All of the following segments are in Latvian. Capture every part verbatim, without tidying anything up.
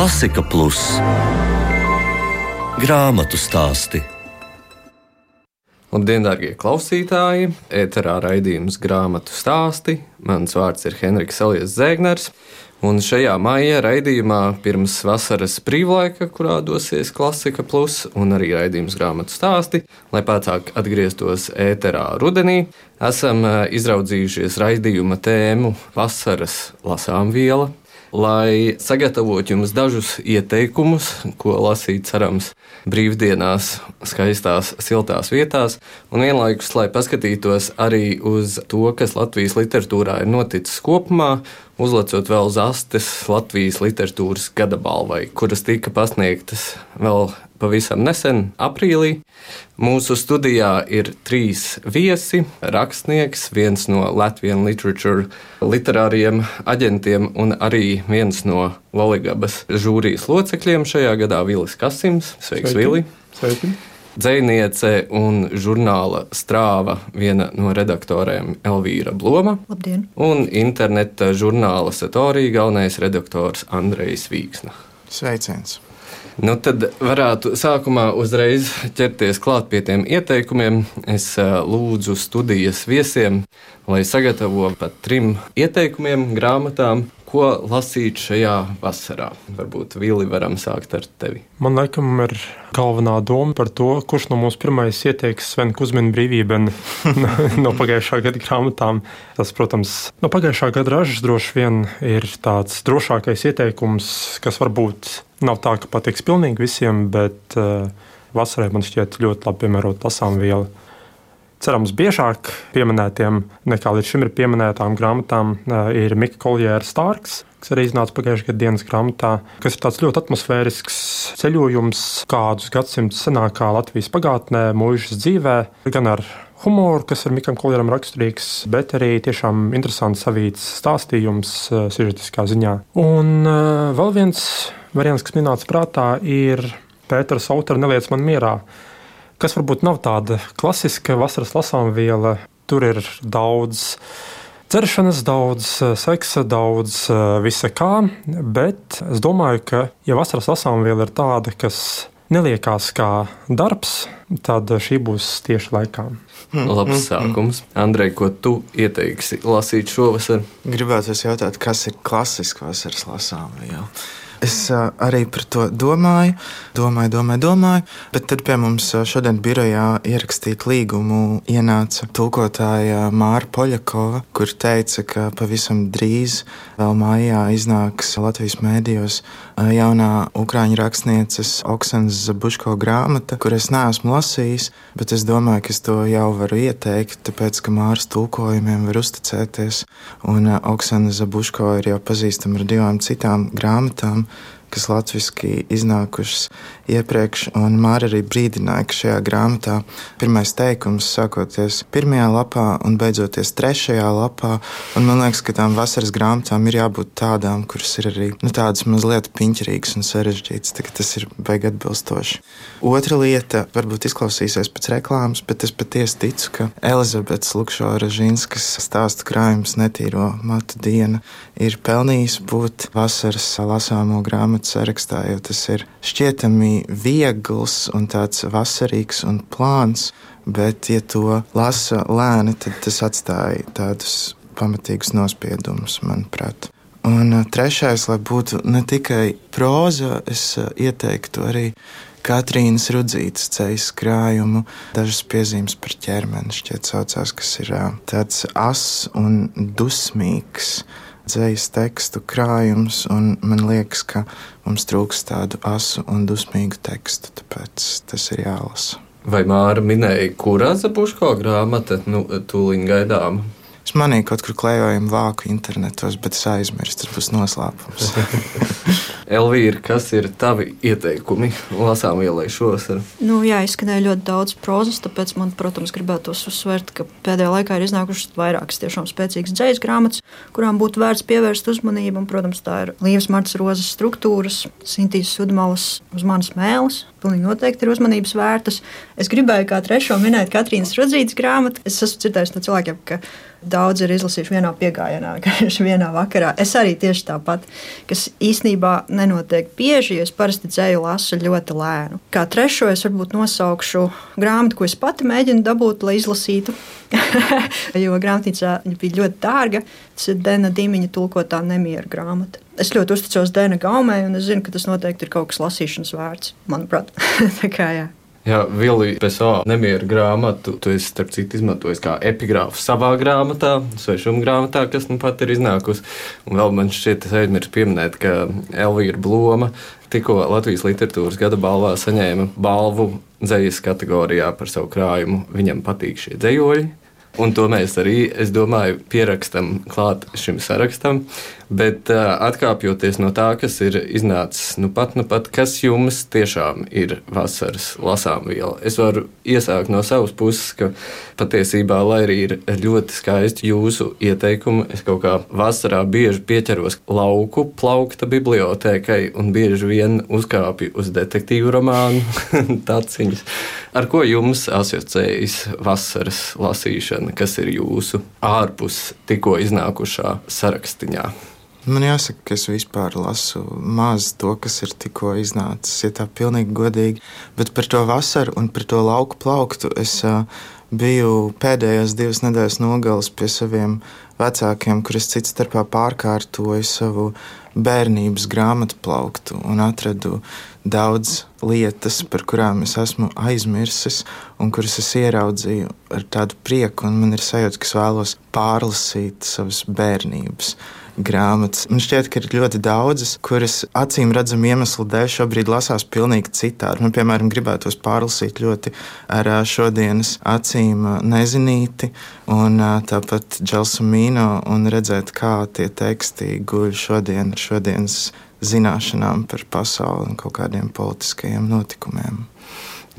Klasika Plus grāmatu stāsti. Labdien, darbie klausītāji! Ēterā raidījums Grāmatu stāsti. Mans vārds ir Henriks Elijas Zēgners. Un šajā maija raidījumā pirms vasaras brīvlaika, kurā dosies Klasika Plus, un arī raidījums Grāmatu stāsti, lai pēcāk atgrieztos ēterā rudenī, esam izraudzījušies raidījuma tēmu Vasaras lasāmviela, lai sagatavotu jums dažus ieteikumus, ko lasīt cerams brīvdienās, skaistās, siltās vietās, un vienlaikus, lai paskatītos arī uz to, kas Latvijas literatūrā ir noticis kopumā, uzlicot vēl zastes Latvijas literatūras gada balvai, kuras tika pasniegtas vēl pavisam nesen, aprīlī. Mūsu studijā ir trīs viesi, rakstnieks, viens no Latvian Literature literāriem aģentiem un arī viens no Loligabas žūrijas locekļiem šajā gadā Vilis Kasims. Sveiks, Vili! Sveiki! Dzejniece un žurnāla Strāva viena no redaktoriem Elvīra Bloma. Labdien! Un interneta žurnāla Satorija galvenais redaktors Andrejs Vīksna. Sveiciens! Nu, tad varētu sākumā uzreiz ķerties klāt pie tiem ieteikumiem. Es lūdzu studijas viesiem, lai sagatavo pat trim ieteikumiem grāmatām, ko lasīt šajā vasarā. Varbūt, Vili, varam sākt ar tevi. Man laikam ir galvenā doma par to, kurš no mums pirmais ieteiks Svena Kuzmina Brīvībeni no pagājušā gada grāmatām. Tas, protams, no pagājušā gada ražas droši vien ir tāds drošākais ieteikums, kas varbūt nav tā, ka patiks pilnīgi visiem, bet uh, vasarai man šķiet ļoti labi piemērot lasāmviela. Cerams, biežāk pieminētiem nekā līdz šim ir pieminētām grāmatām uh, ir Mika Koljēra Stārks, kas arī iznāca pagājušajā gada dienas grāmatā, kas ir tāds ļoti atmosfērisks ceļojums kādus gadsimtus senākā Latvijas pagātnē, mūžas dzīvē, gan ar humoru, kas ir Mikam Koljēram raksturīgs, bet arī tiešām interesants savīts stāstījums uh, sižetiskā ziņā. Un uh, vēl viens variants, kas minēts prātā, ir Pētera Sautera Neliec man mierā, kas varbūt nav tāda klasiska vasaras lasāmviela. Tur ir daudz dzeršanas, daudz seksa, daudz visa kā, bet es domāju, ka ja vasaras lasāmviela ir tāda, kas neliekās kā darbs, tad šī būs tieši laikā. Labs sākums. Andrej, ko tu ieteiksi lasīt šovasar? Gribētos jautāt, kas ir klasiska vasaras lasāmviela? Es uh, arī par to domāju, domāju, domāju, domāju, bet tad pie mums šodien birojā ierakstīt līgumu ienāca tulkotāja Māra Poļakova, kur teica, ka pavisam drīz vēl maijā iznāks Latvijas mēdījos jaunā ukraiņu rakstnieces Oksanas Zabuško grāmata, kur es neesmu lasījis, bet es domāju, ka es to jau varu ieteikt, tāpēc, ka Māras tulkojumiem var uzticēties, un uh, Oksana Zabuško ir jau pazīstama ar divām citām grāmatām, kas latviski iznākušas iepriekš, un Māra arī brīdināja, ka šajā grāmatā pirmais teikums sākoties pirmajā lapā un beidzoties trešajā lapā, un man liekas, ka tām vasaras grāmatām ir jābūt tādām, kuras ir arī nu, tādas mazliet piņķerīgas un sarežģītas, tā ka tas ir baigi atbilstoši. Otra lieta varbūt izklausīsies pēc reklāmas, bet es patiesi ticu, ka Elizabetes Lukšo-Ražinskas stāstu krājums Netīro matu diena ir pelnījis būt vasaras lasāmo grāmatu sarakstā, jo tas ir šķietami viegls un tāds vasarīgs un plāns, bet, ja to lasa lēni, tad tas atstāja tādus pamatīgus nospiedumus, manuprāt. Un trešais, lai būtu ne tikai próza, es ieteiktu arī Katrīnas Rudzītes ceļas krājumu, dažas piezīmes par ķermeni, šķiet saucās, kas ir tāds ass un dusmīgs dzejas tekstu krājums, un man liekas, ka mums trūks tādu asu un dusmīgu tekstu, tāpēc tas ir jālasa. Vai Māra minēja, kurā Zabuško grāmata nu, tūliņ gaidām? Es manīju kaut kur klejojumu vāku internetos, bet es aizmirstu, tas būs noslēpums. Elvīra, kas ir tavi ieteikumi lasāmvielai šovasar? Nu, jā, izskanēja ļoti daudz prozas, tāpēc man, protams, gribētos uzsvērt, ka pēdējā laikā ir iznākušas vairākas tiešām spēcīgas dzejas grāmatas, kurām būtu vērts pievērst uzmanību, un, protams, tā ir Līvas Martas Rozes Struktūras, Sintīs Sudmalas Uz manas mēles. Pilnīgi noteikti ir uzmanības vērtas. Es gribēju kā trešo minēt Katrīnas Rudzītes grāmatu. Es esmu dzirdējis no cilvēkiem, ka daudz ir izlasījuši vienā piegājienā, vienā vakarā. Es arī tieši tāpat, kas īstenībā nenotiek bieži, jo es parasti dzēju lasu ļoti lēnu. Kā trešo es varbūt nosaukšu grāmatu, ko es pati mēģinu dabūt, lai izlasītu, jo grāmatnīcā bija ļoti dārga. Tas ir Dena Dimiņa tulkotā Nemiera grāmata. Es ļoti uzticos Dena gaumei, un es zinu, ka tas noteikti ir kaut kas lasīšanas vērts, manuprāt. Tā kā jā. Jā, Vili, Pessoa Nemiera grāmatu tu esi, starp citu, izmantojis kā epigrāfu savā grāmatā, svešuma grāmatā, kas nu pat ir iznākusi. Un vēl man šķiet, es aizmirsu pieminēt, ka Elvīra Bloma tikko Latvijas literatūras gada balvā saņēma balvu dzejas kategorijā par savu krājumu. Viņam patīk šie dzejoļi. Un to mēs arī, es domāju, pierakstam klāt šim sarakstam. Bet uh, atkāpjoties no tā, kas ir iznācis nu pat, nu pat, kas jums tiešām ir vasaras lasāmviela? Es varu iesākt no savas puses, ka patiesībā, lai arī ir ļoti skaisti jūsu ieteikumi, es kaut kā vasarā bieži pieķeros lauku plaukta bibliotēkai un bieži vien uzkāpju uz detektīvu romānu taciņas. Ar ko jums asociējas vasaras lasīšana, kas ir jūsu ārpus tikko iznākušā sarakstiņā? Man jāsaka, ka es vispār lasu maz to, kas ir tikko iznācis, ja tā pilnīgi godīgi. Bet par to vasaru un par to lauku plauktu es uh, biju pēdējās divas nedēļas nogales pie saviem vecākiem, kur es cits starpā pārkārtoju savu bērnības grāmatu plauktu un atradu daudz lietas, par kurām es esmu aizmirsis un kuras es ieraudzīju ar tādu prieku, un man ir sajūta, ka es vēlos pārlasīt savas bērnības grāmatas. Man šķiet, ka ir ļoti daudzas, kuras acīm redzam iemeslu dēļ šobrīd lasās pilnīgi citādi. Man, piemēram, gribētos pārlasīt ļoti ar šodienas acīm Nezinīti un tāpat Dželsomīno un redzēt, kā tie teksti guļ šodien ar šodienas zināšanām par pasauli un kaut kādiem politiskajiem notikumiem.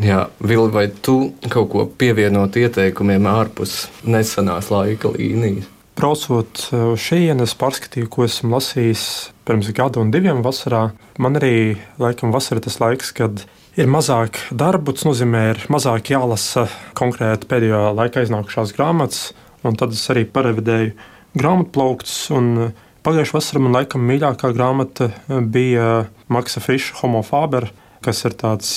Jā, Vili, vai tu kaut ko pievienot ieteikumiem ārpus nesenās laika līnijas? Braucot šeit, es pārskatīju, ko esmu lasījis pirms gada un diviem vasarā. Man arī laikam vasara tas laiks, kad ir mazāk darbu, tas nozīmē, ir mazāk jālasa konkrēti pēdējā laikā iznākušās grāmatas, un tad es arī parevidēju grāmatplauktus, un pagājušā vasara man laikam mīļākā grāmata bija Maksa Friša Homo Faber, kas ir tāds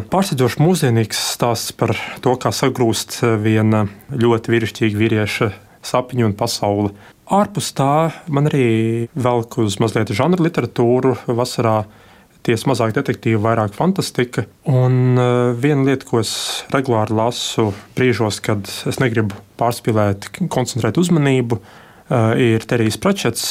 pārsteidzoši mūsdienīgs stāsts par to, kā sagrūst viena ļoti vīrišķīga vīrieša sapņu un pasauli. Ārpus tā man arī velk uz mazliet žanra literatūru. Vasarā ties mazāk detektīva, vairāk fantastika. Un viena lieta, ko es regulāri lasu brīžos, kad es negribu pārspīlēt, koncentrēt uzmanību, ir Terijs Pračets.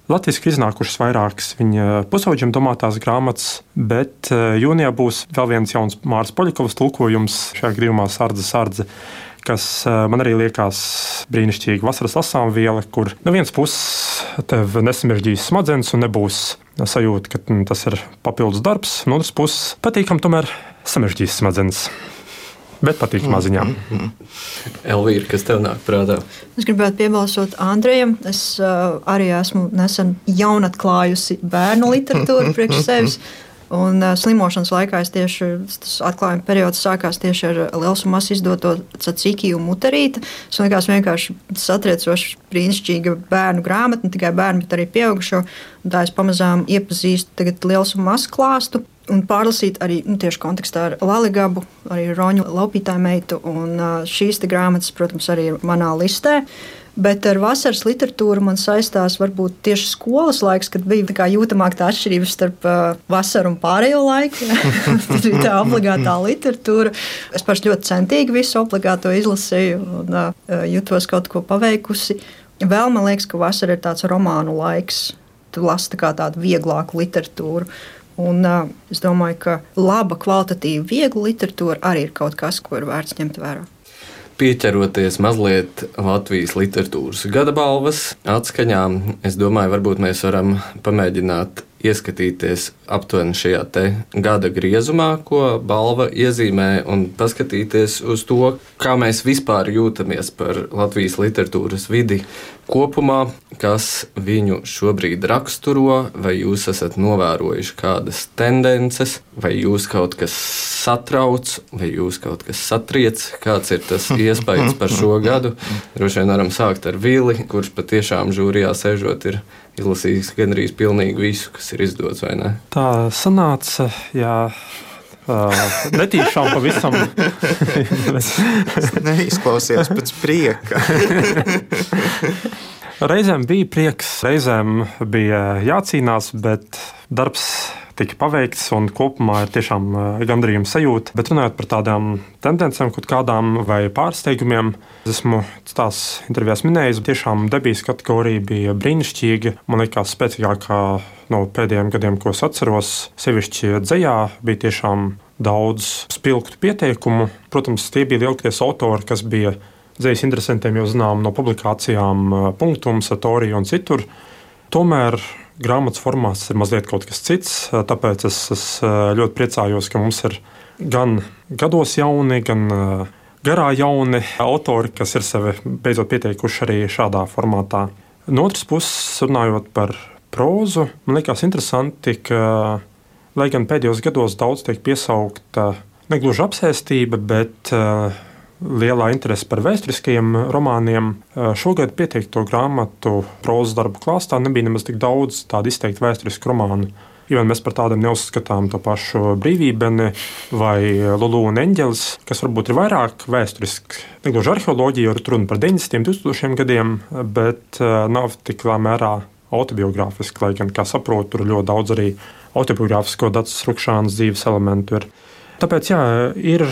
Latviski iznākušas vairākas viņa pusauģiem domātās grāmatas, bet jūnijā būs vēl viens jauns Māras Poļakovas tulkojums šajā gadījumā Sardze Sardze, kas man arī liekas brīnišķīga vasaras lasāmviela, kur no vienas puses tev nesamiržģīs smadzenes un nebūs sajūta, ka tas ir papildus darbs, no otras puses patīkam tomēr samiržģīs smadzenes. Bet patīkamā ziņā. Elvīra, kas tev nāk prātā? Es gribētu piebalsot Andrejam. Es uh, arī esmu nesen jaunatklājusi bērnu literatūru priekš sevis. Un uh, slimošanas laikā es tieši, tas atklājuma periods sākās tieši ar Liels un Mazs izdoto Cacikiju Mutarīti. Tas likās vienkārši satriecoši brīnišķīga bērnu grāmata, ne tikai bērnu, bet arī pieaugušo. Un tā es pamazām iepazīstu tagad Liels un Mazs klāstu un pārlasīt arī nu, tieši kontekstā ar Laligabu, arī Roņu Laupītāju meitu. Un uh, šīs te grāmatas, protams, arī ir manā listē. Bet ar vasaras literatūru man saistās varbūt tieši skolas laiks, kad bija tā jūtamāk tā atšķirība starp uh, vasaru un pārējo laiku. Tas bija tā obligātā literatūra. Es paši ļoti centīgi visu obligāto izlasīju un uh, jutos kaut ko paveikusi. Vēl man liekas, ka vasara ir tāds romānu laiks. Tu lasi tā kā tādu vieglāku literatūru. Un uh, es domāju, ka laba, kvalitatīva, viegla literatūra arī ir kaut kas, ko ir vērts ņemt vērā. Pieķeroties mazliet Latvijas literatūras gada balvas atskaņām, es domāju, varbūt mēs varam pamēģināt ieskatīties aptuveni šajā te gada griezumā, ko balva iezīmē, un paskatīties uz to, kā mēs vispār jūtamies par Latvijas literatūras vidi kopumā, kas viņu šobrīd raksturo, vai jūs esat novērojuši kādas tendences, vai jūs kaut kas satrauc, vai jūs kaut kas satriec, kāds ir tas iespējas par šo gadu. Droši vien varam sākt ar Vili, kurš patiešām žūrijā sēžot ir izlasījis gandrīz pilnīgi visu, kas ir izdots, vai ne? Tā sanāca, jā. Uh, netīšām pavisam. Neizklausījās pēc prieka. Reizēm bija prieks, reizēm bija jācīnās, bet darbs tika paveikts un kopumā ir tiešām gandarījuma sajūta. Bet runājot par tādām tendencēm, kaut kādām vai pārsteigumiem, esmu tās intervijās minējis, tiešām debijas kategorija bija brīnišķīga. Man liekas, spēcīgākā no pēdējiem gadiem, ko es atceros, sevišķi dzejā, bija tiešām daudz spilgtu pieteikumu. Protams, tie bija lielākie autori, kas bija dzejas interesantiem, jau zinām no publikācijām Punktums, Satorija un citur. Tomēr grāmatas formāts ir mazliet kaut kas cits, tāpēc es, es ļoti priecājos, ka mums ir gan gados jauni, gan garā jauni autori, kas ir sevi beidzot pieteikuši arī šādā formātā. No otras puses, runājot par prózu, man liekas interesanti, ka, lai gan pēdējos gados daudz tiek piesaukta negluži apsēstība, bet lielā interese par vēsturiskajiem romāniem. Šogad pieteikto grāmatu prózas darbu klāstā nebija nemaz tik daudz tādu izteikti vēsturisku romānu. Jo mēs par tādiem neuzskatām to pašu Brīvībeni vai Lulu un Eņģelis, kas varbūt ir vairāk vēsturiski. Negluži arheoloģija, jo runa par deviņdesmitiem, divtūkstošiem gadiem, bet nav tik lielā mērā autobiogrāfiski, lai gan, kā saprotu, tur ļoti daudz arī autobiogrāfisko Dacas Rukšānas dzīves elementu ir. Tāpēc, jā, ir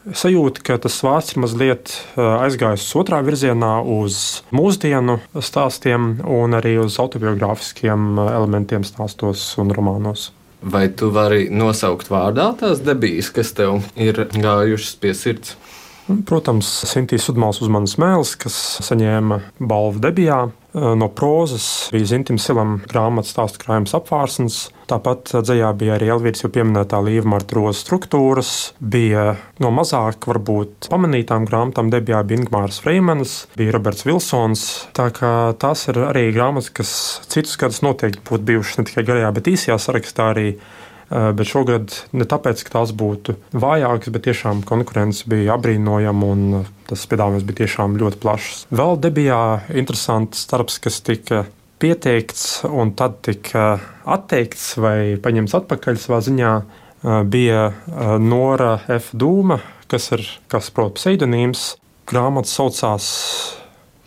sajūta, ka tas vārds ir mazliet aizgājis otrā virzienā uz mūsdienu stāstiem un arī uz autobiogrāfiskiem elementiem stāstos un romānos. Vai tu vari nosaukt vārdā tās debijas, kas tev ir gājušas pie sirds? Protams, Sintīs Sudmāls Uzmanas mēls, kas saņēma balvu debijā. No prózas bija Zintim Silam grāmatas stāstu krājums Apvārsnes. Tāpat dzejā bija arī Elvīras jau pieminētā Līva Marta Rozes Struktūras. Bija no mazāk varbūt pamanītām grāmatām debijā bija Ingmāras Freimanas, bija Roberts Vilsons. Tā kā tās ir arī grāmatas, kas citus gadus noteikti būtu bijušas ne tikai garajā, bet īsajā sarakstā arī. Bet šogad ne tāpēc, ka tās būtu vājākas, bet tiešām konkurence bija apbrīnojama un tas piedāvājums bija tiešām ļoti plašs. Vēl debijā interesants darbs, kas tika pieteikts un tad tika atteikts vai paņemts atpakaļ savā ziņā, bija Nora F. Dūma, kas ir, kas prot, pseidonīms. Grāmata saucās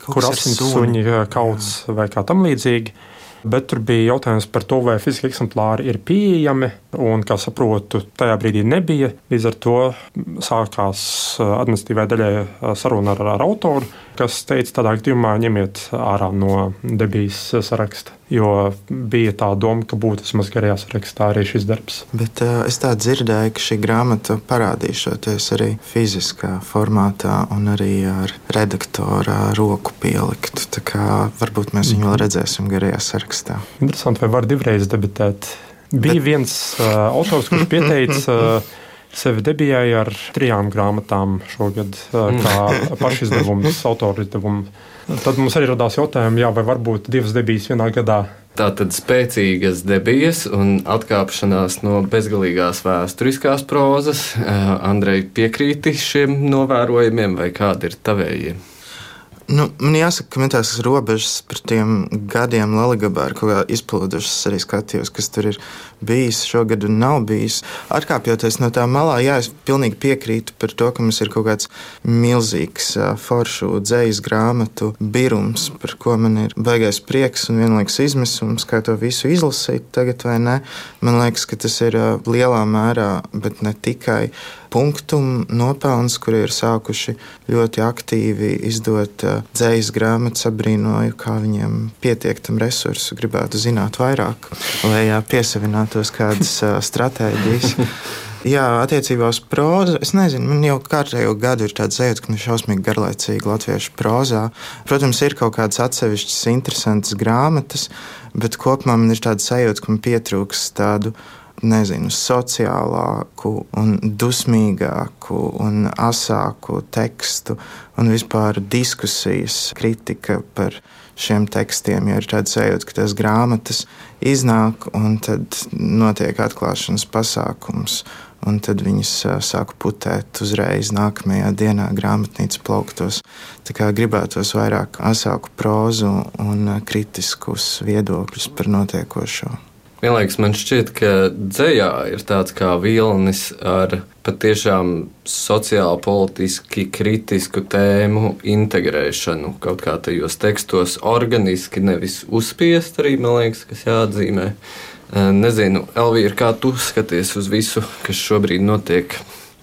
Kur asins suņi kauts vai kā tam līdzīgi. Bet tur bija jautājums par to, vai fiziski eksemplāri ir pieejami, un, kā saprotu, tajā brīdī nebija. Līdz ar to sākās administratīvai daļai saruna ar, ar autoru, kas teica, tādā gadījumā ņemiet ārā no debijas saraksta, jo bija tā doma, ka būtu vismaz garajā sarakstā arī šis darbs. Bet uh, es tā dzirdēju, ka šī grāmata parādīšoties arī fiziskā formātā un arī ar redaktora roku pieliktu. Tā kā varbūt mēs viņu vēl redzēsim garajā sarakstā. Interesanti, vai var divreiz debitēt. Bija Bet... viens uh, autors, kurš pieteica uh, sevi debijai ar trijām grāmatām šogad, uh, kā pašizdevums, autoru izdevumu. Tad mums arī radās jautājumi, jā, vai varbūt divas debijas vienā gadā. Tātad spēcīgas debijas un atkāpšanās no bezgalīgās vēsturiskās prózas. Andrej, piekrīti šiem novērojumiem vai kādi ir tavējie? Nu, man jāsaka, ka man tās robežas par tiem gadiem Laligabā ir kaut kā izplūdušas, arī skatījos, kas tur ir bijis šogad un nav bijis. Atkāpjoties no tā malā, jā, es pilnīgi piekrītu par to, ka mums ir kaut kāds milzīgs foršu dzejas grāmatu birums, par ko man ir baigais prieks un vienlaikus izmisums, kā to visu izlasīt tagad vai ne. Man liekas, ka tas ir lielā mērā, bet ne tikai Punktum nopelns, kuri ir sākuši ļoti aktīvi izdot dzejas grāmatas, abrīnoju, kā viņiem pietiek tam resursu, gribētu zināt vairāk, lai piesavinātos kādas stratēģijas. Jā, attiecībā uz prózu, es nezinu, man jau kārtējo gadu ir tāds sajūta, ka man ir šausmīgi garlaicīgi latviešu prózā. Protams, ir kaut kādas atsevišķas interesantas grāmatas, bet kopumā man ir tāda sajūta, ka man pietrūks tādu, nezinu, sociālāku un dusmīgāku un asāku tekstu un vispār diskusijas, kritika par šiem tekstiem, jo ir tāda sajūta, ka tās grāmatas iznāk un tad notiek atklāšanas pasākums, un tad viņas sāku putēt uzreiz nākamajā dienā grāmatnīcas plauktos. Tā kā gribētos vairāk asāku prózu un kritiskus viedokļus par notiekošo. Vienlaikus man šķiet, ka dzejā ir tāds kā vilnis ar patiešām sociāli, politiski kritisku tēmu integrēšanu kaut kā tajos tekstos organiski, nevis uzspiest arī, man liekas, kas jāatzīmē. Nezinu, Elvīra, kā tu skaties uz visu, kas šobrīd notiek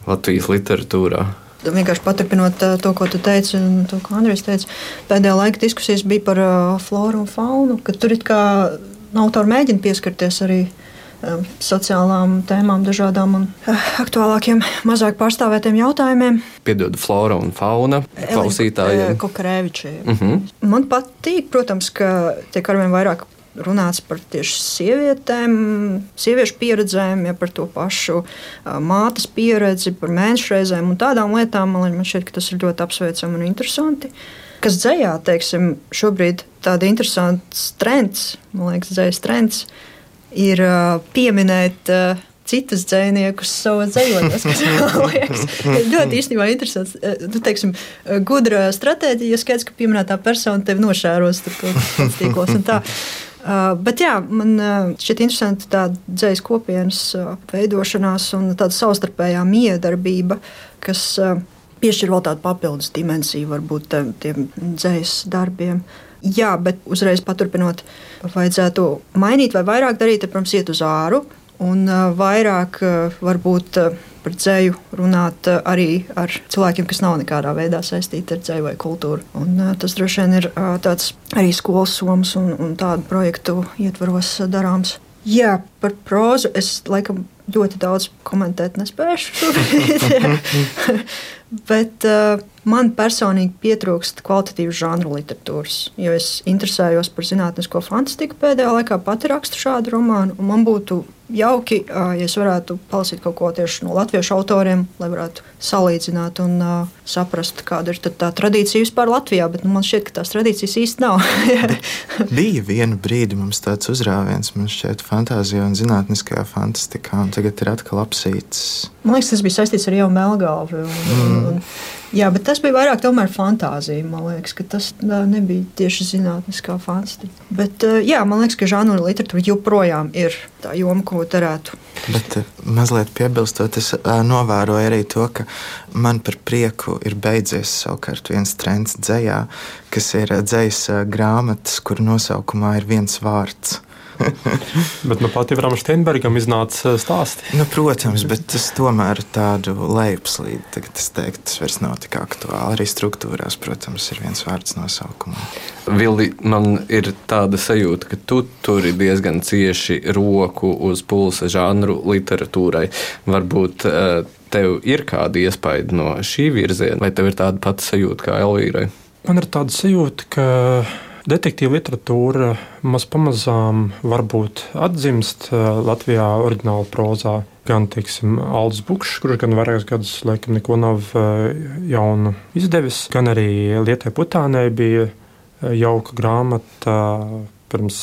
Latvijas literatūrā? Vienkārši paturpinot to, ko tu teici, un to, ko Andrejs teica, pēdējā laika diskusijas bija par floru un faunu, ka tur it kā autori mēģina pieskarties arī sociālām tēmām, dažādām un aktuālākiem, mazāk pārstāvētiem jautājumiem. Piedod, flora un fauna klausītājiem. Kokarēvičiem. Uh-huh. Man patīk, protams, ka tiek arvien vairāk runāts par tieši sievietēm, sieviešu pieredzēm, ja par to pašu mātes pieredzi, par mēnešreizēm un tādām lietām. Man šķiet, ka tas ir ļoti apsveicami un interesanti. Kas dzejā, teiksim, šobrīd tāda interesants trends, man liekas, dzejas trends, ir pieminēt citus dzejniekus savos dzejotājos, kas man liekas, ir ļoti īstenībā interesants. Tu, teiksim, gudra stratēģija, ja skaidrs, ka pieminētā persona tevi nošēros tur kaut tīklos un tā. Uh, bet jā, man uh, šķiet interesanti tāda dzejas kopienas uh, veidošanās un tāda savstarpējā miedarbība, kas uh, piešķir vēl tādu papildus dimensiju varbūt uh, tiem dzejas darbiem. Jā, bet uzreiz paturpinot, vajadzētu mainīt vai vairāk darīt, protams, iet uz āru un uh, vairāk uh, varbūt uh, par dzeju runāt uh, arī ar cilvēkiem, kas nav nekādā veidā saistīti ar dzeju vai kultūru. Un, uh, tas droši vien ir uh, tāds arī skolas somas un, un tādu projektu ietvaros uh, darāms. Jā, par prózu es laikam ļoti daudz komentēt nespēšu šobrīd, bet uh, man personīgi pietrūkst kvalitatīvas žanru literatūras, jo es interesējos par zinātnisko fantastiku pēdējā laikā, pati rakstu šādu romānu, un man būtu jauki, ja es varētu palasīt kaut ko tieši no latviešu autoriem, lai varētu salīdzināt un uh, saprast, kāda ir tā tradīcija vispār Latvijā, bet nu, man šķiet, ka tās tradīcijas īsti nav. Bija vienu brīdi mums tāds uzrāviens, man šķiet, fantāzijā un zinātniskajā fantastikā, un tagad ir atkal apsīts. Man liekas, tas bija saistīts ar Ieva Melgalvi. Un, mm. un, jā, bet tas bija vairāk tomēr fantāzija. Man liekas, ka tas nebija tieši zinātniskā fantastika. Bet jā, man liekas, ka žanru literatūra joprojām ir tā joma, ko derētu. Bet mazliet piebilstot, es novēroju arī to, ka man par prieku ir beidzies savukārt viens trends dzejā, kas ir dzejas grāmatas, kur nosaukumā ir viens vārds. Bet nu pat Ivram Steinbergam iznāca stāsti. Nu, protams, bet tas tomēr ir tādu lejupslīdi. Tagad es teiktu, tas vairs nav tik aktuāli. Arī struktūrās, protams, ir viens vārds nosaukumā. Vildi, man ir tāda sajūta, ka tu turi diezgan cieši roku uz pulsa žanru literatūrai. Varbūt tev ir kāda iespaida no šī virziena, vai tev ir tāda pati sajūta kā Elvīrai? Man ir tāda sajūta, ka detektīva literatūra maz pamazām varbūt atzimst Latvijā oriģināla prózā. Gan, teiksim, Aldis Bukšs, kurš gan vairākus gadus laikam neko nav jaunu izdevis, gan arī Lietai Putānei bija jauka grāmata pirms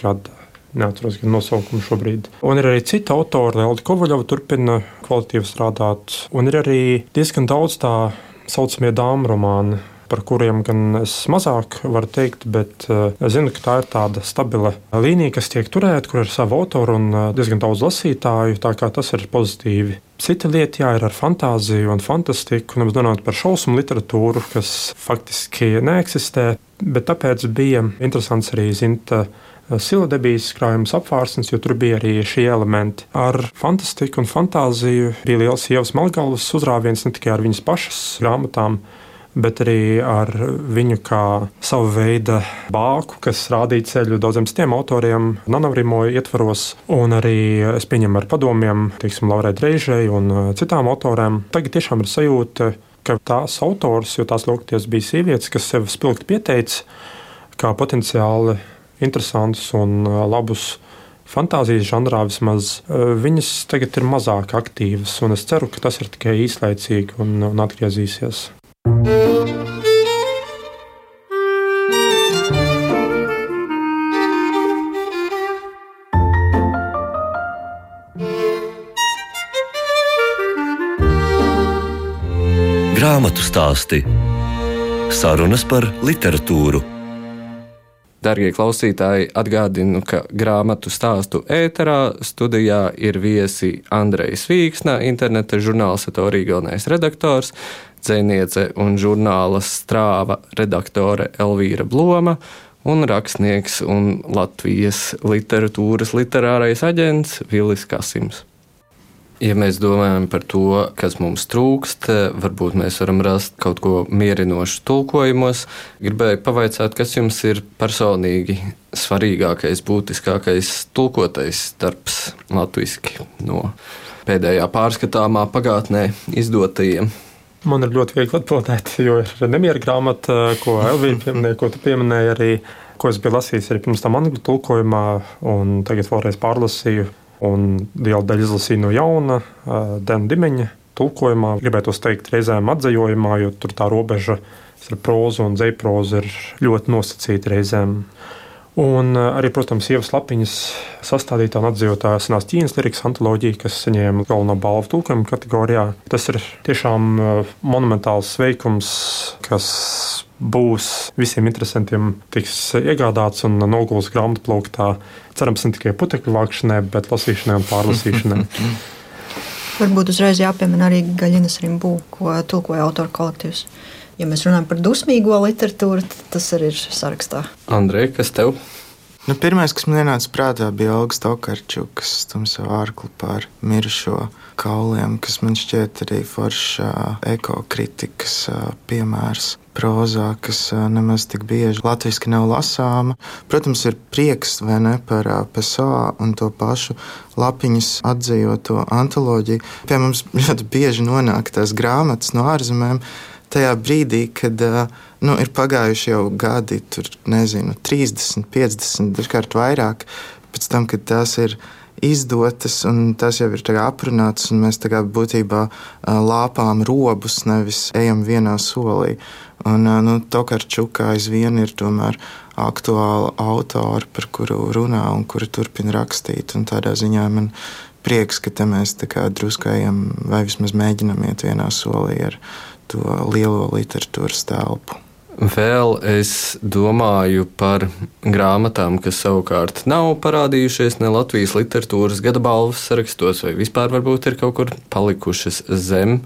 gada. Neatceros gan nosaukumu šobrīd. Un ir arī citi autori, Elda Kovaļova turpina kvalitīvi strādāt. Un ir arī diezgan daudz tā saucamie dāmu romāni, par kuriem gan es mazāk varu teikt, bet uh, es zinu, ka tā ir tāda stabila līnija, kas tiek turēta, kur ir sava autora un uh, diezgan daudz lasītāju, tā kā tas ir pozitīvi. Cita lieta, jā, ir ar fantāziju un fantastiku, un runājot par šausmu literatūru, kas faktiski neeksistē, bet tāpēc bija interesants arī Zinta Siladebijas krājums Apvārsnes, jo tur bija arī šie elementi. Ar fantastiku un fantāziju bija liels Ievas Melgalvas uzrāviens ne tikai ar viņas pašas grāmatām, bet arī ar viņu kā savu veidu bāku, kas rādīja ceļu daudziem citiem autoriem, Nanavrimo ietvaros, un arī es pieņemu ar padomiem, teiksim, Laurai Dreižai un citām autorēm. Tagad tiešām ir sajūta, ka tās autors, jo tās lūgties bija sievietes, kas sev spilgti pieteica kā potenciāli interesantus un labus fantāzijas žanrā vismaz, viņas tagad ir mazāk aktīvas, un es ceru, ka tas ir tikai īslaicīgi un, un atgriezīsies. Grāmatu stāsti. Sarunas par literatūru. Darbie klausītāji, atgādinu, ka grāmatu stāstu ēterā studijā ir viesi Andrejs Vīksna, interneta žurnāla Satorija galvenais redaktors, dzejniece un žurnāla Strāva redaktore Elvīra Bloma un rakstnieks un Latvijas literatūras literārais aģents Vilis Kasims. Ja mēs domājam par to, kas mums trūkst, varbūt mēs varam rast kaut ko mierinošu tulkojumos. Gribēju pavaicāt, kas jums ir personīgi svarīgākais, būtiskākais tulkotais darbs latviski no pēdējā pārskatāmā pagātnē izdotajiem? Man ir ļoti viegli atbildēt, jo ir Nemiera grāmata, ko Elvīra pieminēja, ko tu pieminēji arī, ko es biju lasījis arī pirms tam angļu tulkojumā, un tagad vēlreiz pārlasīju. Un liela daļa izlasīja no jauna, Dena Dimeņa tulkojumā. Gribētu teikt, reizēm atzējojumā, jo tur tā robeža ar prózu un dzejprozu ir ļoti nosacīta reizēm. Un arī, protams, Ievas Lapiņas sastādītā un atzējotā senās Ķīnas lirikas antoloģija, kas saņēma galveno balvu tulkojuma kategorijā. Tas ir tiešām monumentāls veikums, kas būs visiem interesantiem tiks iegādāts un noguls grāmatplauktā. Cerams, ne tikai putekļu vākšanai, bet lasīšanai un pārlasīšanai. Varbūt uzreiz jāpiemina arī Gaļinas Rimbu, ko tulkoja autoru kolektīvs. Ja mēs runājam par dusmīgo literatūru, tad tas arī ir sarakstā. Andrej, kas tev? Nu, pirmais, kas man ienāca prātā, bija Olgas Tokarčukas stum savu ārklu pār mirušo kauliem, kas man šķiet arī foršs ekokritikas piemērs prozā, kas nemaz tik bieži latviski nav lasāma. Protams, ir prieks, vai ne, par Pessoa un to pašu Lapiņas atzējoto antoloģiju. Pie mums ļoti bieži nonāk tās grāmatas no ārzemēm, tajā brīdī, kad nu, ir pagājuši jau gadi, tur, nezinu, trīsdesmit, piecdesmit, dažkārt vairāk, pēc tam, kad tās ir izdotas un tās jau ir aprunātas, un mēs tā būtībā lāpām robus, nevis ejam vienā solī. Un, nu, Tokarčuka aizvien ir tomēr aktuāla autora, par kuru runā un kuru turpina rakstīt, un tādā ziņā man prieks, ka te mēs tā kā drusku ejam vai vismaz mēģinam iet vienā solī ar to lielo literatūras telpu. Vēl es domāju par grāmatām, kas savukārt nav parādījušies ne Latvijas literatūras gada balvas sarakstos, vai vispār varbūt ir kaut kur palikušas zem,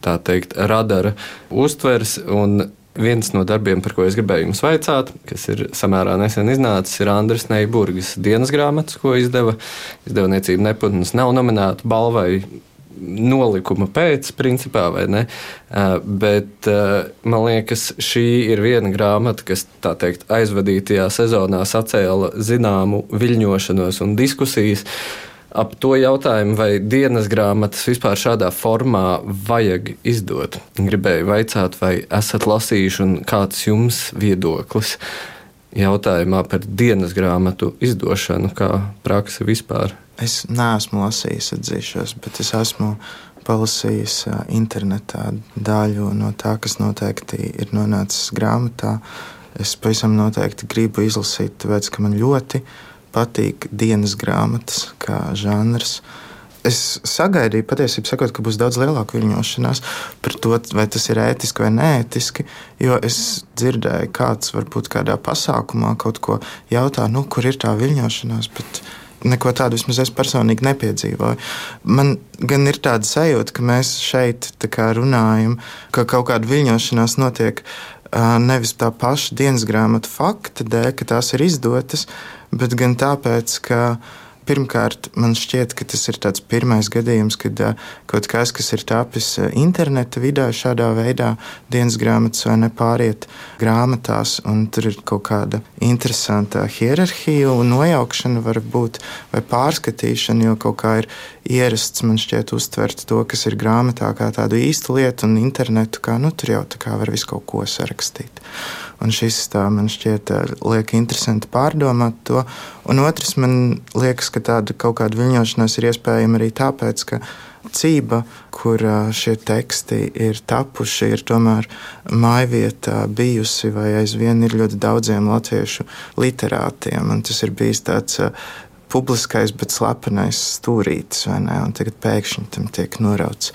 tā teikt, radara uztvers. Un viens no darbiem, par ko es gribēju jums vaicāt, kas ir samērā nesen iznācis, ir Andres Neiburgas dienas grāmatas, ko izdeva izdevniecība Neputns. Nav nominēta balvai nolikuma pēc, principā, vai ne? Bet man liekas, šī ir viena grāmata, kas, tā teikt, aizvadītajā sezonā sacēla zināmu viļņošanos un diskusijas ap to jautājumu, vai dienas grāmatas vispār šādā formā vajag izdot. Gribēju vaicāt, vai esat lasījuši un kāds jums viedoklis jautājumā par dienas grāmatu izdošanu kā praksi vispār? Es neesmu lasījis, atzīšos, bet es esmu palasījis internetā daļu no tā, kas noteikti ir nonācis grāmatā. Es pavisam noteikti gribu izlasīt, tāpēc, ka man ļoti patīk dienas grāmatas kā žanrs. Es sagaidīju, patiesībā sakot, ka būs daudz lielāka viļņošanās par to, vai tas ir ētiski vai neētiski, jo es dzirdēju, kāds varbūt kādā pasākumā kaut ko jautā, nu, kur ir tā viļņošanās, bet neko tādu vismaz es personīgi nepiedzīvoju. Man gan ir tāda sajūta, ka mēs šeit tā kā runājam, ka kaut kāda viļņošanās notiek nevis tā paša dienas grāmatu fakta dēļ, ka tās ir izdotas, bet gan tāpēc, ka Pirmkārt, man šķiet, ka tas ir tāds pirmais gadījums, kad uh, kaut kas, kas ir tapis uh, interneta vidē, šādā veidā dienas grāmatas vai nepāriet grāmatās, un tur ir kaut kāda interesanta hierarhija un nojaukšana varbūt, vai pārskatīšana, jo kaut kā ir ierasts, man šķiet, uztvert to, kas ir grāmatā kā tādu īstu lietu, un internetu kā, nu, tur jau tā kā var visu kaut ko sarakstīt. Un šis tā, man šķiet, liek interesanti pārdomāt to. Un otrs, man liekas, ka tāda kaut kāda viļņošanās ir iespējama arī tāpēc, ka Cība, kur šie teksti ir tapuši, ir tomēr mājvietā bijusi vai aizvien ir ļoti daudziem latviešu literātiem. Un tas ir bijis tāds publiskais, bet slepenais stūrītis, vai ne? Un tagad pēkšņi tam tiek norauts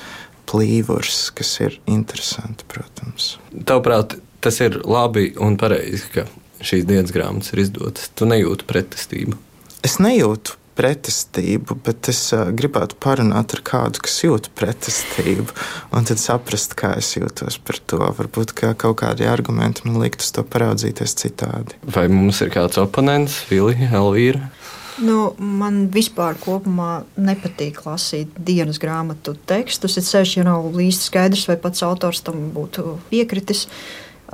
plīvurs, kas ir interesanti, protams. Tavuprāt, tas ir labi un pareizi, ka šīs dienas grāmatas ir izdotas. Tu nejūti pretestību? Es nejūtu pretestību, bet es uh, gribētu parunāt ar kādu, kas jūt pretestību, un tad saprast, kā es jūtos par to. Varbūt kā kaut kādi argumenti man likt uz to paraudzīties citādi. Vai mums ir kāds oponents, Vili, Elvīra? Nu, man vispār kopumā nepatīk lasīt dienas grāmatu tekstus. Ir sevišķi, ja nav īsti skaidrs, vai pats autors tam būtu piekritis.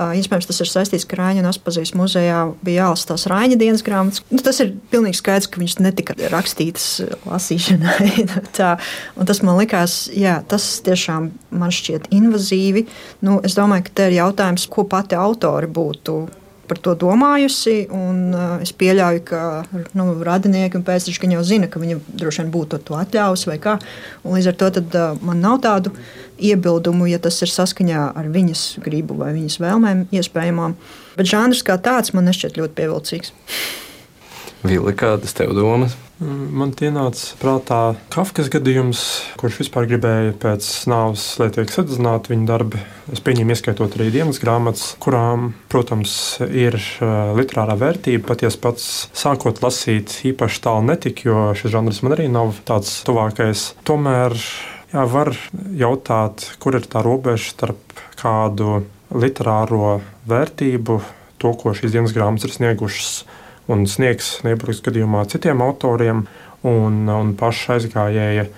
Iespējams, tas ir saistīts, ka Raiņa un Aspazijas muzejā bija jālasa tās Raiņa dienas grāmatas. Nu, tas ir pilnīgi skaidrs, ka viņas netika rakstītas lasīšanai. Tā. Un tas man likās, jā, tas tiešām man šķiet invazīvi. Nu, es domāju, ka te ir jautājums, ko pati autori būtu par to domājusi, un uh, es pieļauju, ka nu, radinieki un pēcteči jau zina, ka viņa droši vien būtu to atļāvusi vai kā. Un līdz ar to tad, uh, man nav tādu iebildumu, ja tas ir saskaņā ar viņas gribu vai viņas vēlmēm iespējamām. Bet žanrs kā tāds man nešķiet ļoti pievilcīgs. Vili, kādas tev domas? Man ienāca prātā Kafkas gadījums, kurš vispār gribēja pēc nāves, lai tiek sadedzināti viņa darbi. Es pieņemu, ieskaitot arī dienas grāmatas, kurām, protams, ir literārā vērtība. Patiesi pats sākot lasīt īpaši tālu netika, jo šis žanrs man arī nav tāds tuvākais. Tomēr jā, var jautāt, kur ir tā robeža starp kādu literāro vērtību, to, ko šīs dienas grāmatas ir sniegušas un sniegs Neiburgas gadījumā citiem autoriem, un, un paša aizgājēja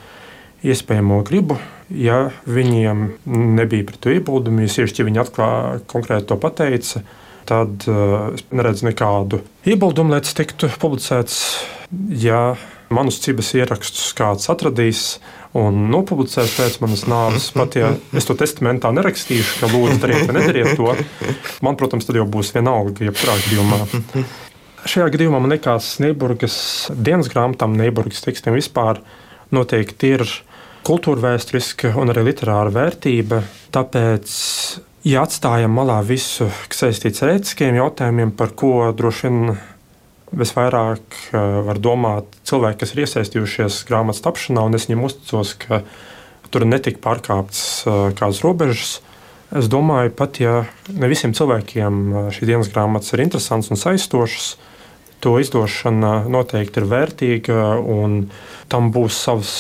iespējamo gribu. Ja viņiem nebija pret to iebildumu, ja tieši viņi atklāja konkrēti to pateica, tad uh, es neredzu nekādu iebildumu, lai tas tiktu publicēts. Ja manus cibas ierakstus kāds atradīs un nopublicēs pēc manas nāves, pat ja es to testamentā nerakstīšu, ka lūdzu dariet vai nedariet to, man, protams, tad jau būs vienalga, jebkurā gadījumā. Šajā gadījumā man liekas, Neiburgas dienas grāmatām, Neiburgas tekstiem vispār noteikti ir kultūra vēsturiska un arī literāra vērtība. Tāpēc, ja atstājam malā visu, kas saistīts ar ētiskiem jautājumiem, par ko droši vien visvairāk var domāt cilvēki, kas ir iesaistījušies grāmatas tapšanā, un es viņiem uzticos, ka tur netika pārkāptas kādas robežas. Es domāju, pat ja ne visiem cilvēkiem šīs dienas grāmatas ir interesants un saistošas, to izdošana noteikti ir vērtīga, un tam būs savs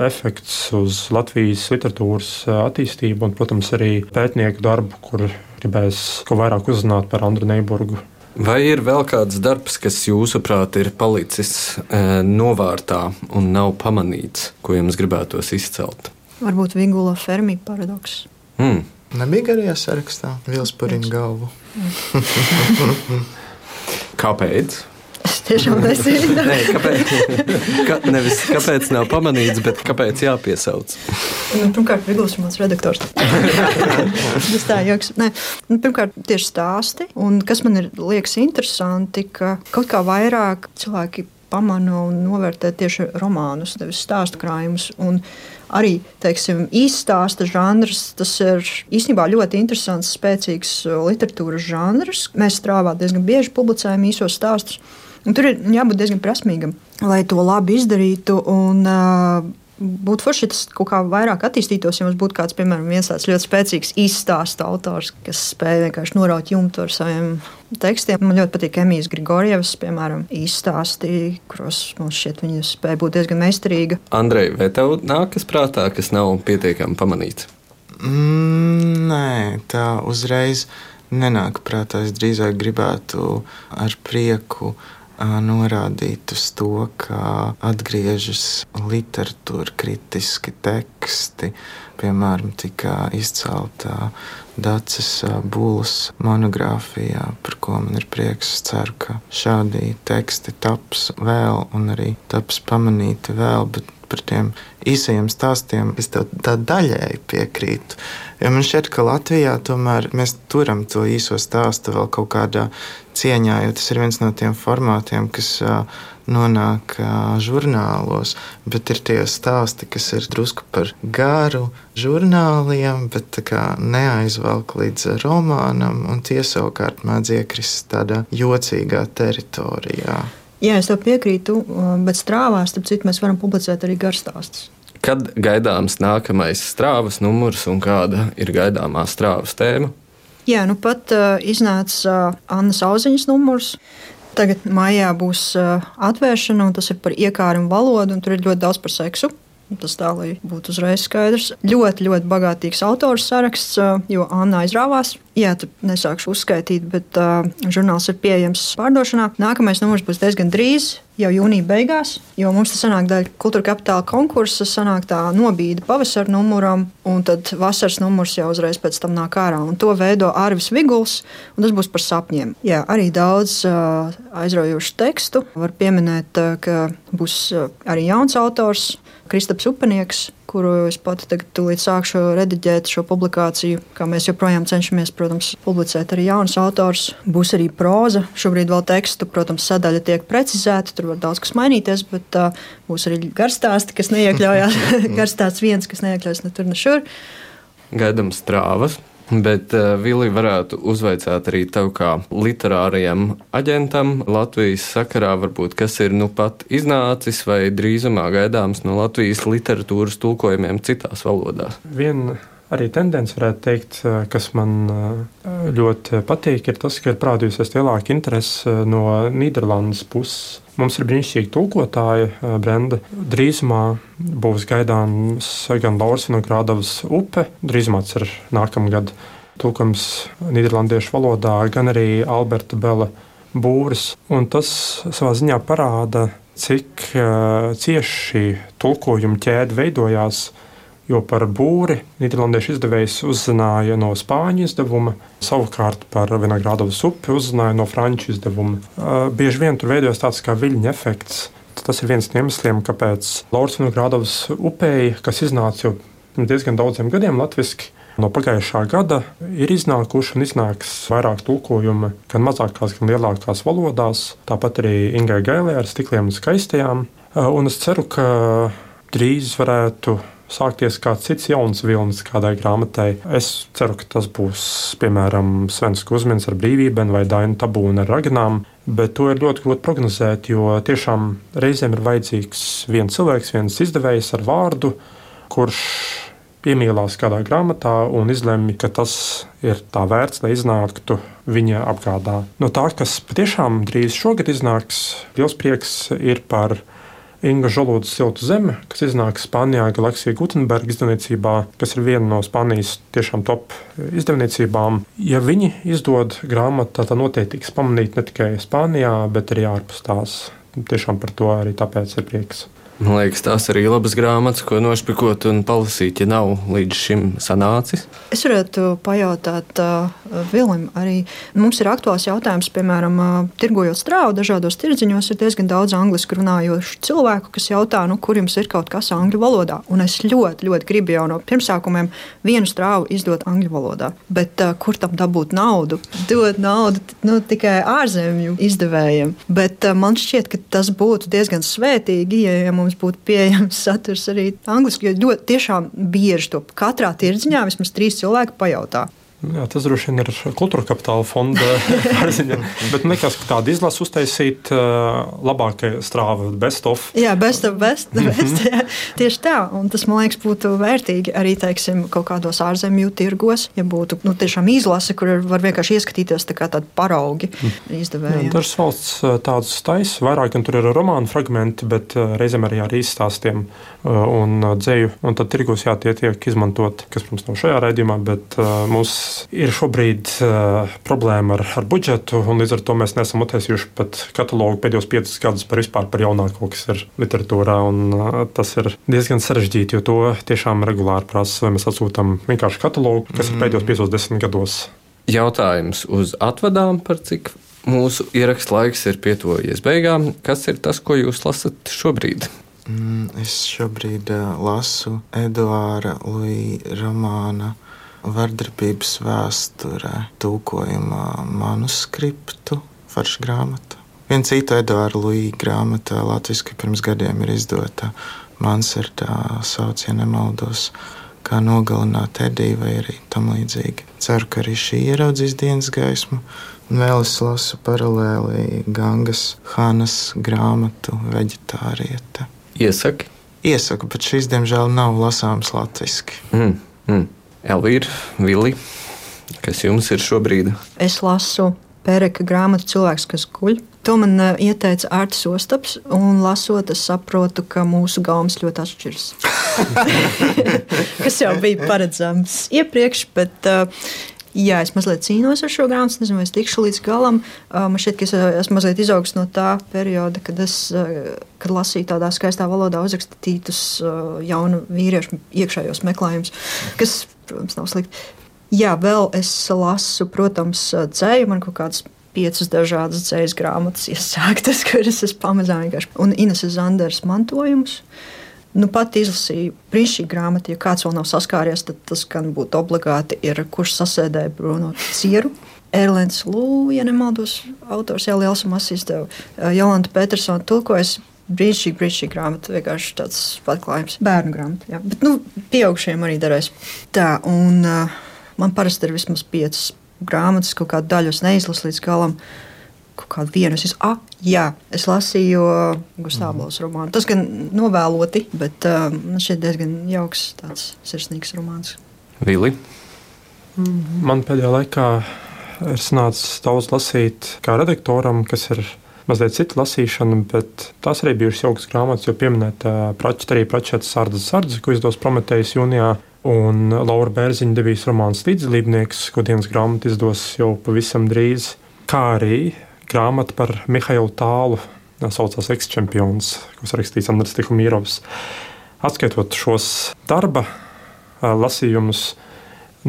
efekts uz Latvijas literatūras attīstību un, protams, arī pētnieku darbu, kur gribēs ko vairāk uzzināt par Andru Neiburgu. Vai ir vēl kāds darbs, kas jūsuprāt ir palicis e, novārtā un nav pamanīts, ko jums gribētos izcelt? Varbūt Vigula Fermi paradoks. Mm. Nebija garajā sarakstā, Vils Purina galvu. Kāpēc? Es tiešām nezinu. Nē, kāpēc, ka, nevis kāpēc nav pamanīts, bet kāpēc jāpiesauc? Nu, pirmkārt, Vigls ir mans redaktors. Tas tā joks. Nē, nu, pirmkārt, tieši stāsti. Un kas man ir liekas interesanti, ka kaut kā vairāk cilvēki pamana un novērtē tieši romānus, nevis stāstu krājumus. Un arī, teiksim, īststāsta žanrs, tas ir īstenībā ļoti interesants, spēcīgs literatūras žanrs. Mēs strāvā diezgan bieži publicējam īsos stāstus. Un tur ir jābūt diezgan prasmīgam, lai to labi izdarītu. Un, uh, būtu forši, ja tas kaut kā vairāk attīstītos, ja mums būtu kāds, piemēram, viens tāds ļoti spēcīgs izstāsta autors, kas spēj vienkārši noraut jumtu ar saviem tekstiem. Man ļoti patīk Emijas Grigorjevas, piemēram, izstāsti, kuros mums šķiet viņa spēja būt diezgan meistarīga. Andrej, vai tev nākas prātā, kas nav pietiekami pamanīts? Mm, nē, tā uzreiz nenāk prātā. Es drīzāk gribētu ar prieku norādīt uz to, kā atgriežas literatūra kritiski teksti. Piemēram, tika izcelta Daces Bulas monogrāfijā, par ko man ir prieks. Es ceru, ka šādi teksti taps vēl un arī taps pamanīti vēl, bet par tiem īsajiem stāstiem es tev tā daļēji piekrītu. Jo man šķiet, ka Latvijā tomēr mēs turam to īso stāstu vēl kaut kādā cieņā, jo tas ir viens no tiem formātiem, kas nonāk žurnālos, bet ir tie stāsti, kas ir drusku par garu žurnāliem, bet tā kā neaizvelk līdz romānam, un tie savukārt mēdz iekrist tādā jocīgā teritorijā. Jā, es tev piekrītu, bet strāvās, starp citu, mēs varam publicēt arī garstāstus. Kad gaidāms nākamais strāvas numurs un kāda ir gaidāmā strāvas tēma? Jā, nu pat uh, iznāca uh, Annas Auziņas numurs. Tagad maijā būs uh, atvēršana, un tas ir par iekāru un valodu, un tur ir ļoti daudz par seksu. Tas tā, lai būtu uzreiz skaidrs. Ļoti, ļoti bagātīgs autors saraksts, jo Anna aizrāvās. Jā, tad nesākšu uzskaitīt, bet uh, žurnāls ir pieejams pārdošanā. Nākamais numurs būs diezgan drīz, jau jūnija beigās, jo mums tas sanāk daļa Kultūra Kapitāla konkursa, sanāk tā nobīde pavasara numuram, un tad vasaras numurs jau uzreiz pēc tam nāk ārā. Un to veido Arvis Viguls, un tas būs par sapņiem. Jā, arī daudz uh, aizraujošu tekstu. Var pieminēt, uh, ka būs uh, arī jauns autors, Kristaps Upenieks, kuru es pati tagad tūlīt sākšu rediģēt šo publikāciju, kā mēs joprojām cenšamies, protams, publicēt arī jaunus autors. Būs arī próza, šobrīd vēl tekstu, protams, sadaļa tiek precizēta, tur var daudz kas mainīties, bet uh, būs arī garstāsti, kas neiekļaujās, garstāsts viens, kas neiekļaujas ne tur, ne šur. Gaidām strāvas. Bet uh, Vili varētu uzvaicāt arī tev kā literārajam aģentam Latvijas sakarā, varbūt, kas ir nu pat iznācis vai drīzumā gaidāms no Latvijas literatūras tulkojumiem citās valodās. Viena arī tendence, varētu teikt, kas man ļoti patīk, ir tas, ka ir parādījusies lielāka interese no Nīderlandes puses. Mums ir brīnišķīgi tulkotāji, Brenda. Drīzumā būs gaidāms gan Lauras Vinogradovas Upe, drīzumā tas ir nākamgad tulkojums nīderlandiešu valodā, gan arī Alberta Bela Būris. Un tas savā ziņā parāda, cik cieši šī tulkojuma ķēde veidojās, jo par Būri nīderlandiešu izdevējs uzzināja no spāņu izdevuma, savukārt par Vinogradovas Upi uzzināja no franču izdevuma. Bieži vien tur veidojas tāds kā viļņa efekts. Tas ir viens no iemesliem, kāpēc Lauras Vinogradovas Upei, kas iznāca jau diezgan daudziem gadiem latviski, no pagājušā gada ir iznākuši un iznāks vairāk tulkojumi gan mazākās, gan lielākās valodās, tāpat arī Ingai Gailē ar Stikliem un skaistajām. Un es ceru, ka drīz varētu sākties kāds cits jauns vilnis kādai grāmatai. Es ceru, ka tas būs, piemēram, Svens Kuzmins ar Brīvībeni vai Daina Tabūna ar Raganām, bet to ir ļoti grūti prognozēt, jo tiešām reizēm ir vajadzīgs viens cilvēks, viens izdevējs ar vārdu, kurš iemīlās kādā grāmatā un izlemj, ka tas ir tā vērts, lai iznāktu viņa apgādā. No tā, kas patiešām drīz šogad iznāks, liels prieks ir par Inga Žolūdas Siltu zeme, kas iznāk Spānijā Galaksija Gutenberga izdevniecībā, kas ir viena no Spānijas tiešām top izdevniecībām. Ja viņi izdod grāmatu, tad noteikti tiks pamanīt ne tikai Spānijā, bet arī ārpus tās. Tiešām par to arī tāpēc ir prieks. Man liekas, tās arī labas grāmatas, ko nošpikot un palasīt, ja nav līdz šim sanācis. Es varētu pajautāt uh, Vilim arī. Mums ir aktuāls jautājums, piemēram, uh, tirgojot strāvu, dažādos tirdziņos ir diezgan daudz angliski runājošu cilvēku, kas jautā, nu, kur jums ir kaut kas angļu valodā. Un es ļoti, ļoti gribu jau no pirmsākumiem vienu strāvu izdot angļu valodā. Bet uh, kur tam dabūt naudu? Dot naudu nu, tikai ārzemju izdevējiem. Bet uh, man šķiet, ka tas būtu diezgan svētīgi, ja mums būtu pieejams saturs arī angliski, jo ļoti tiešām bieži to katrā tirdziņā vismaz trīs cilvēki pajautā. Jā, tas droši vien ir Kultūra Kapitāla fonda pārziņa, bet man liekas, ka tādu izlasu uztaisīt uh, labākai strāva, best of. Jā, best of, best, best, jā, tieši tā, un tas, man liekas, būtu vērtīgi arī, teiksim, kaut kādos ārzemju tirgos, ja būtu, nu, tiešām izlase, kur var vienkārši ieskatīties tā kā tādi paraugi izdevējiem. Dažas valsts tādus taisa, vairāk gan tur ir romānu fragmenti, bet reizēm arī ar izstāstiem un dzēju, un tad tirgos, jā, tie tiek izmantot, kas, protams, nav šajā raidījumā, bet mūsu ir šobrīd uh, problēma ar, ar budžetu, un līdz ar to mēs neesam uztaisījuši pat katalogu pēdējos piecus gadus par vispār par jaunāko, kas ir literatūrā. Un, uh, tas ir diezgan sarežģīti, jo to tiešām regulāri prasa, vai mēs atsūtām vienkārši katalogu, kas mm. ir pēdējos piecos desmit gados. Jautājums uz atvadām, par cik mūsu ieraksta laiks ir pietuvojies beigām. Kas ir tas, ko jūs lasat šobrīd? Mm, es šobrīd uh, lasu Eduāra Luī romāna Vardarbības vēsturē tulkojumā manuskriptu, farša grāmata. Viena cita Eduāra Luī grāmata latviski pirms gadiem ir izdota. Mans ir tā sauc, ja nemaldos, Kā nogalināt Ediju vai arī tam līdzīgi. Ceru, ka arī šī ieraudzīs dienas gaismu. Un vēl es lasu paralēli Gangas Hanas grāmatu Veģetāriete. Iesaki? Iesaku, bet šīs, diemžēl, nav lasāmas latviski. Mm, mm. Elvīra, Vili, kas jums ir šobrīd? Es lasu Pēreka grāmatu Cilvēks, kas guļ. To man uh, ieteica Ārtis Ostaps, un lasot, es saprotu, ka mūsu gaumas ļoti atšķiras. Kas jau bija paredzams iepriekš, bet uh, jā, es mazliet cīnos ar šo grāmatu, nezinu, vai es tikšu līdz galam. Uh, man šķiet, ka es esmu mazliet izaugs no tā perioda, kad es uh, kad lasīju tādā skaistā valodā uzrakstītus uh, jaunu vīriešu iekšējos meklējumus, kas, protams, nav slikti. Jā, vēl es lasu, protams, dzēju, man kaut kādas piecas dažādas dzējas grāmatas iesāktas, kuras es pamazām vienkārši. Un Ineses Zanderes mantojums. Nu, pat izlasīju brīnišķīgu grāmatu, ja kāds vēl nav saskāries, tad tas gan būtu obligāti ir, kurš sasēdēja Bruno Cieru. Erlends Lū, ja nemaldos, autors jau liels un masīs tev. Jolanta Petersona tulkojas. Brīnišķīgi, brīnišķīgi grāmata, vienkārši tāds atklājums. Bērnu grāmata, jā. Bet, nu, pieaugušiem arī darēs. Tā, un uh, man parasti ir vismaz piecas grāmatas, kaut kādu daļu es neizlasu līdz galam. Kaut kādu vienu es izlasu. Ah, jā, es lasīju Gustavs romānu. Tas gan novēloti, bet uh, man šķiet diezgan jauks, tāds sirsnīgs romāns. Vili? Man pēdējā laikā ir sanācis daudz lasīt kā redaktoram, kas ir mazliet cita lasīšana, bet tās arī bijušas jaukas grāmatas, jo pieminēta arī Pračeta Sardzes sardze, ko izdos Prometejs jūnijā, un Laura Bērziņa debijas romāns Līdzdalībnieks, ko dienas grāmata izdos jau pavisam drīz, kā arī grāmata par Mihailu Tālu, saucās Eksčempions, ko sarakstīts Andris Tihomīrovs. Atskaitot šos darba lasījumus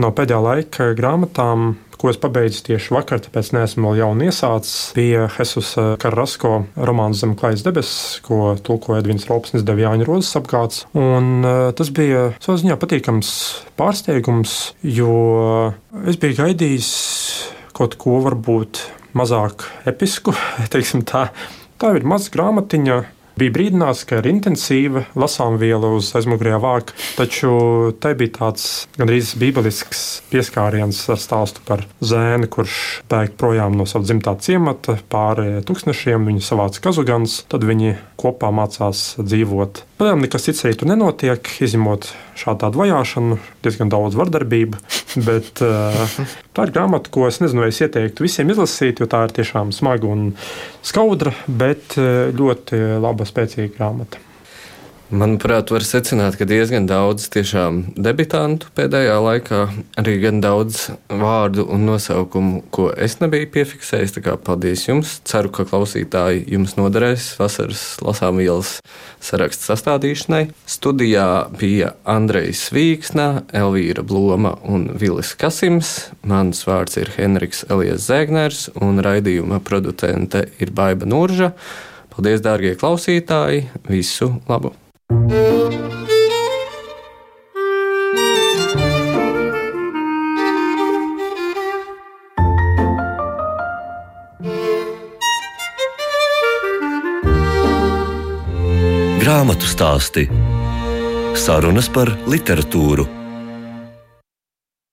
no pēdējā laika grāmatām, ko es pabeidzu tieši vakar, tāpēc neesmu vēl jaunu iesācis, bija Jesusa Carrasco romāns Zem klājas debesis, ko tulkoja Edvins Rolpsnis, deva Jāņa Rozes apgāds. Un uh, tas bija savā ziņā patīkams pārsteigums, jo es biju gaidījis kaut ko varbūt mazāk episku, teiksim tā. Tā ir maza grāmatiņa. Bija brīdināts, ka ir intensīva lasāmviela uz aizmugurējā vāka, taču tai bija tāds gandrīz bībelisks pieskāriens ar stāstu par zēni, kurš bēg projām no sava dzimtā ciemata pāri tūkstnešiem, viņu savāca kazugans, tad viņi kopā mācās dzīvot. Pēc nekas cits arī tur nenotiek, izņemot šādu tādu vajāšanu, diezgan daudz vardarbību, bet uh, tā ir grāmata, ko es nezinu, vai es ieteiktu visiem izlasīt, jo tā ir tiešām smaga un skaudra, bet ļoti laba, spēcīga grāmata. Manuprāt, var secināt, ka diezgan daudz tiešām debitantu pēdējā laikā, arī gan daudz vārdu un nosaukumu, ko es nebiju piefiksējis, tā kā paldies jums. Ceru, ka klausītāji jums noderēs vasaras lasāmvielas saraksta sastādīšanai. Studijā bija Andrejs Vīksna, Elvīra Bloma un Vilis Kasims. Mans vārds ir Henriks Elijas Zēgners un raidījuma producente ir Baiba Nurža. Paldies, dārgie klausītāji! Visu labu! Grāmatu stāsti. Sarunas par literatūru.